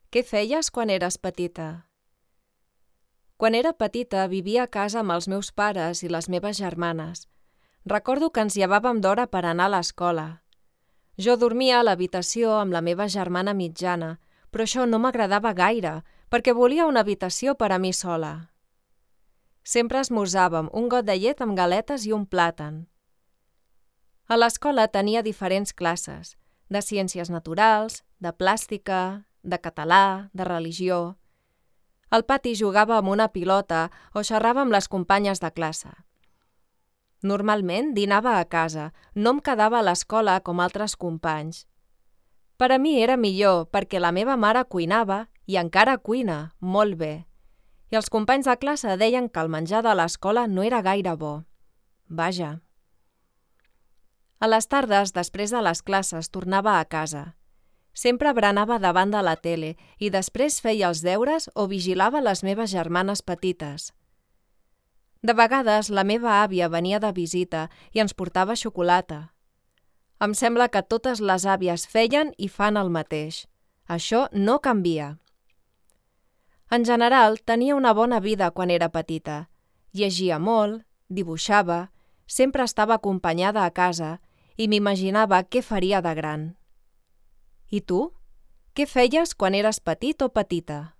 Què feies quan eres petita? Quan era petita vivia a casa amb els meus pares i les meves germanes. Recordo que ens llevàvem d'hora per anar a l'escola. Jo dormia a l'habitació amb la meva germana mitjana, però això no m'agradava gaire, perquè volia una habitació per a mi sola. Sempre esmorzàvem un got de llet amb galetes i un plàtan. A l'escola tenia diferents classes, de ciències naturals, de plàstica, de català, de religió. Al pati jugava amb una pilota o xerrava amb les companyes de classe. Normalment dinava a casa, no em quedava a l'escola com altres companys. Per a mi era millor perquè la meva mare cuinava i encara cuina molt bé. I els companys de classe deien que el menjar de l'escola no era gaire bo. Vaja. A les tardes, després de les classes, tornava a casa. Sempre berenava davant de la tele i després feia els deures o vigilava les meves germanes petites. De vegades la meva àvia venia de visita i ens portava xocolata. Em sembla que totes les àvies feien i fan el mateix. Això no canvia. En general, tenia una bona vida quan era petita. Llegia molt, dibuixava, sempre estava acompanyada a casa i m'imaginava què faria de gran. I tu? Què feies quan eres petit o petita?